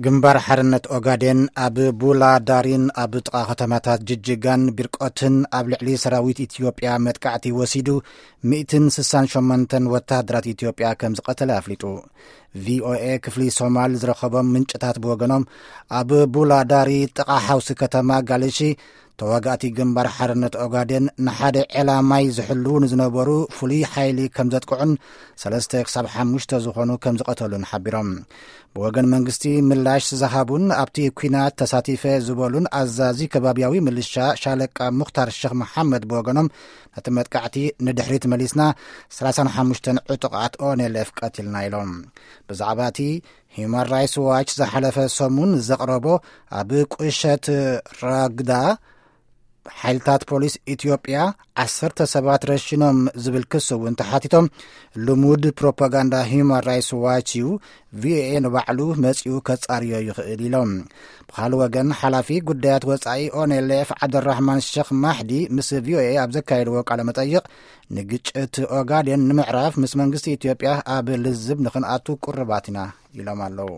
ግንባር ሓርነት ኦጋዴን ኣብ ቡላ ዳሪን ኣብ ጥቓ ከተማታት ጅጅጋን ቢርቆትን ኣብ ልዕሊ ሰራዊት ኢትዮጵያ መጥቃዕቲ ወሲዱ፣ ሚእትን ስሳን ሸሞንተን ወተሃደራት ኢትዮጵያ ከም ዝቐተለ ኣፍሊጡ። ቪኦኤ ክፍሊ ሶማል ዝረኸቦም ምንጭታት ብወገኖም፣ ኣብ ቡላ ዳሪ ጥቓ ሓውሲ ከተማ ጋልሺ፣ ተዋጋእቲ ግንባር ሓርነት ኦጋዴን ንሓደ ዕላማይ ዝሕልዉ ንዝነበሩ ፍሉይ ሓይሊ ከም ዘጥቅዑን ሰለስተ ክሳብ ሓሙሽተ ዝኾኑ ከም ዝቐተሉን ሓቢሮም። ብወገን መንግስቲ ምላሽ ዝሃቡን ኣብቲ ኲናት ተሳቲፈ ዝበሉን ኣዛዚ ከባቢያዊ ምልሻ ሻለቃ ሙኽታር ሸኽ መሓመድ ብወገኖም፣ ነቲ መጥቃዕቲ ንድሕሪት መሊስና ሰላሳን ሓሙሽተን ዕጡቓት ኦኔሌፍ ቀቲልና ኢሎም። ብዛዕባ እቲ ሂዩማን ራይትስ ዋች ዝሓለፈ ሰሙን ዘቕረቦ፣ ኣብ ቁሸት ራግዳ ሓይልታት ፖሊስ ኢትዮጵያ ዓሰርተ ሰባት ረሽኖም ዝብል ክስ እውን ተሓቲቶም፣ ልሙድ ፕሮፓጋንዳ ሂዩማን ራይትስ ዋች እዩ፣ ቪኦኤ ንባዕሉ መጺኡ ከጻርዮ ይኽእል ኢሎም። ብኻልእ ወገን፣ ሓላፊ ጉዳያት ወጻኢ ኦኔሌፍ ዓብደራሕማን ሸኽ ማሕዲ ምስ ቪኦኤ ኣብ ዘካየድዎ ቃለ መጠይቕ፣ ንግጭት ኦጋዴን ንምዕራፍ ምስ መንግስቲ ኢትዮጵያ ኣብ ልዝብ ንኽንኣቱ ቁርባት ኢና ኢሎም ኣለዉ።